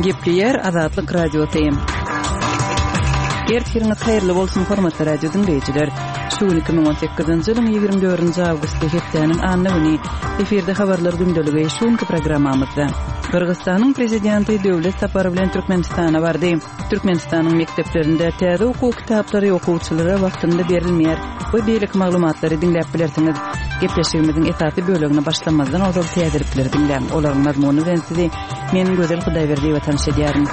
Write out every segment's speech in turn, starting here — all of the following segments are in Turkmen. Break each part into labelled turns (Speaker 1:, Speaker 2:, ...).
Speaker 1: Gepleýär Azatlyk Radiosy. Ertiriňiz haýyrly bolsun, hormatly radio diňleýjiler. Şu gün 2018-nji ýylyň 24-nji awgusty hepdäniň anna güni. Efirde habarlar gündeligi şu günki programmamyzda. Gyrgyzystanyň prezidenti döwlet sapary bilen Türkmenistana bardy. Türkmenistanyň mekdeplerinde täze okuw kitaplary okuwçylara wagtynda berilmeýär we beýleki maglumatlary diňläp bilersiňiz. Gepleşigimiziň esasy bölegine başlamazdan ozal täzelikleri diňläň. Olaryň mazmuny bilen sizi men Gözel Hudaýberdiýewa tanyş edýärin.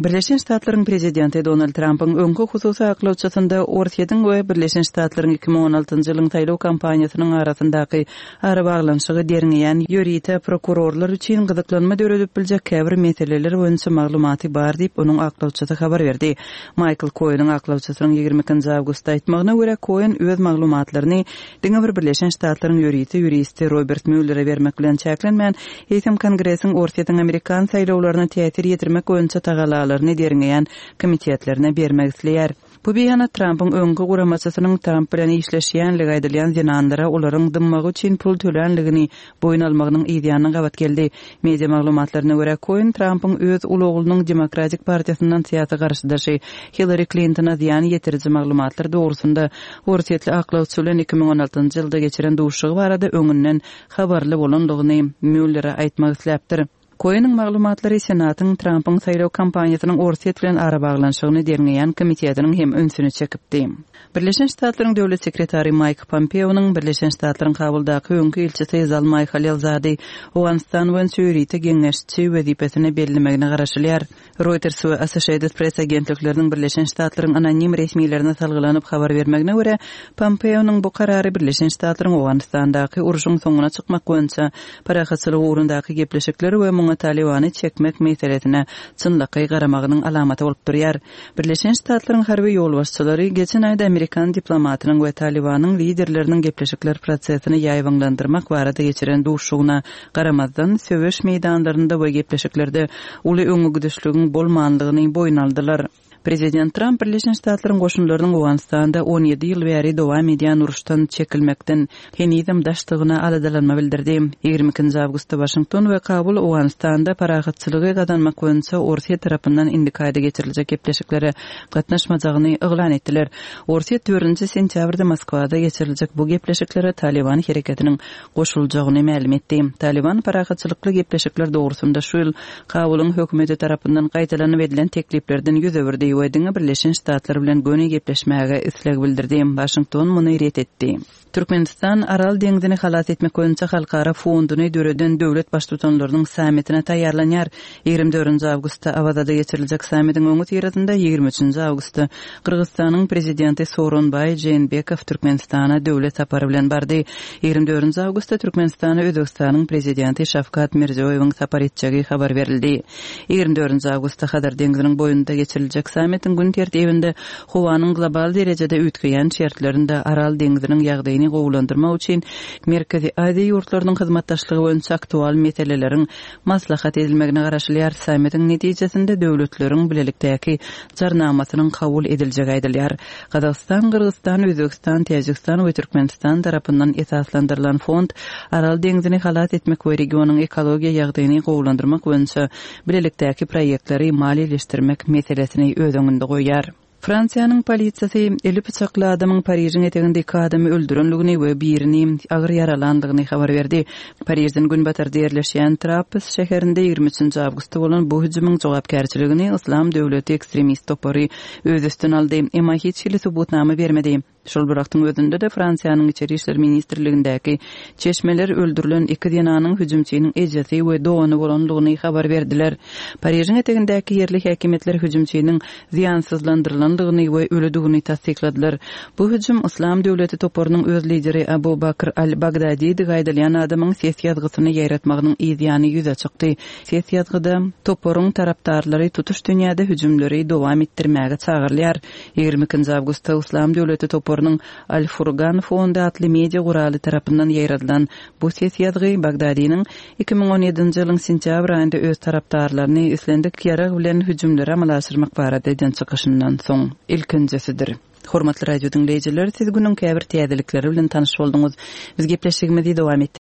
Speaker 1: Birleşen Ştatlaryň prezidenti Donald Trampyň öňki hususy aklawçysynda Orsýetiň we Birleşen Ştatlaryň 2016-njy ýylyň saýlaw kampaniýasynyň arasyndaky Arabaglanyşygy derňeýän ýörite prokurorlar üçin gyzyklanma döredip biljek käbir meseleler boýunça maglumaty bar diýip, onuň aklawçysy habar berdi. Maýkl Koeniň aklawçysynyň 22 nji awgustda aýtmagyna görä, Koen öz maglumatlaryny diňe bir Birleşen Ştatlaryň ýörite ýuristi Robert Muellere bermek bilen çäklenmän, eýsem Kongresiň Orsýetiň amerikan saýlawlaryna täsir ýetirmek boýunça tagalalaryny derňeýän komitetlerine bermek isleýär. Bu beýanat Trampyň öňki guramaçysynyň Tramp bilen işleşýänligi aýdylýan zenanlara olaryň dymmagy üçin pul tölänligini boýun almagynyň yzýanyna gabat geldi. Media maglumatlaryna görä, Koen Trampyň öz uly oglunyň Demokratik partiýasyndan syýasy garşydaşy Hillari Klintona zyýan ýetiriji maglumatlar dogrusynda orsýetli aklawçy bilen 2016-njy ýylda geçiren duşuşygy barada öňünden habarly bolanlygyny Muellere aýtmak isläpdir. Koeniň maglumatlary Senatyň Trampyň saýlaw kampaniýasynyň Orsýet bilen arabaglanyşygyny derňeýän komitetiniň hem ünsüni çekipdi. Birleşen Ştatlaryň Döwlet sekretary Maýk Pompeonyň Birleşen Ştatlaryň Kabuldaky öňki ilçisi Zalmaý Halilzady Owganystan boýunça ýörite geňeşçi wezipesine bellemegine garaşylýar. Reuters we Associated Press agentlikleriniň Birleşen Ştatlaryň anonim resmilerine salgylanyp habar bermegine görä, Pompeonyň bu karary Birleşen Ştatlaryň Owganystandaky urşuň soňuna çykmak boýunça parahatçylyk ugrundaky gepleşikler we muňa Talybany çekmek meselesine çynlakaý garamagynyň alamaty bolup durýar. Birleşen Ştatlaryň harby ýolbaşçylary geçen aýda amerikan diplomatynyň we Talybanyň liderleriniň gepleşikler prosesini ýaýbaňlandyrmak barada geçiren duşuşygyna garamazdan, söweş meýdanlarynda we gepleşiklerde uly öňegidişligiň bolmanlygyny boýun aldylar. Prezident Tramp Birleşen Ştatlaryň goşunlarynyň Owganystanda 17 ýyl bäri dowam edýän uruşdan çekilmekden henizem daşdygyna aladalanma bildirdi. 22-nji awgustda Waşington we Kabul Owganystanda parahatçylygy gazanmak boýunça Orsýet tarapyndan indiki aýda geçiriljek gepleşiklere gatnaşmajagyny yglan etdiler. Orsýet dördünji sentýabrda Moskwada geçiriljek bu gepleşiklere Talyban hereketiniň goşuljagyny mälim etdi. Talyban parahatçylykly gepleşikler dogrusynda şu ýyl Kabulyň hökümeti tarapyndan gaýtalanyp edilen tekliplerden ýüz öwürdi we diňe Birleşen Ştatlar bilen göni gepleşmäge isleg bildirdi. Waşington muny ret etdi. Türkmenistan Aral deňzini halas etmek boýunça halkara fonduny döreden döwlet Baştutanlarynyň sammitine taýýarlanýar. 24-nji awgustda Awazada geçiriljek sammitiň öňüsyrasynda 23-nji awgustda Gyrgyzystanyň Prezidenti Sooronbaý Jeenbekow Türkmenistana döwlet sapary bilen bardy. 24-nji awgustda Türkmenistana Özbegistanyň Prezidenti Şawkat Mirziýoýewiň sapar etjegi habar berildi. 24-nji awgustda Hazar deňziniň boýunda geçiriljek sammitiň gün tertibinde howanyň global derejede üýtgeýän şertlerinde Aral deňziniň ýagdaýyny gowulandyrmak üçin Merkezi Aziýa ýurtlarynyň hyzmatdaşlygy boýunça aktual meseleleriň maslahat edilmegine garaşylýar. Sammitiň netijesinde döwletleriň bilelikdäki Jarnamasynyň kabul ediljegi aýdylýar. Gazagystan, Gyrgyzystan, Özbegistan, Täjigistan we Türkmenistan tarapyndan esaslandyrylan fond Aral deňzini halas etmek we regionyň ekologiýa ýagdaýyny gowulandyrmak boýunça bilelikdäki proýektleri maliýeleşdirmek meselesini öz öňünde goýýar. Fransiýanyň polisiýasy eli pyçakly adamyň Parižiň eteginde iki adamy öldürendigini we birini agyr ýaralandygyny habar berdi. Parižden günbatarda ýerleşýän Trappes şäherinde 23-nji awgustda bolan bu hüjümiň jogapkärçiligini Yslam döwleti ekstremist topary öz üstüne aldy, emma hiç hili subutnama bermedi. Şol bir wagtyň özünde-de Fransiýanyň Içeri işler ministrligindäki çeşmeler öldürilen iki zenanyň hüjümçiniň ejesi we dogany bolandygyny habar berdiler. Parižiň etegindäki ýerli häkimiýetler hüjümçiniň zyýansyzlandyrylandygyny we ölüdigini tassykladylar. Bu hüjüm Yslam döwleti toparynyň öz lideri Abu Bakr al-Bagdadidigi aýdylýan adamyň ses ýazgysyny ýaýratmagynyň yz ýany ýüze çykdy. Ses ýazgyda toparyň tarapdarlary tutuş dünýäde hüjümleri dowam etdirmäge çagyrylýar. 22-nji awgustda Yslam döwleti toparynyň Al-Furgan fondy atly media guraly tarapyndan ýaýradylan bu ses ýazgy Bagdadiniň 2017-nji ýylyň sentýabr aýynda öz tarapdarlaryny islendik ýarag bilen hüjümleri amala aşyrmak barada eden çykyşyndan soň ilkinjisidir. Hormatly radio diňleýjiler, siz günüň käbir täzelikleri bilen tanyş bolduňyz. Biz gepleşigimizi dowam etdirýäris.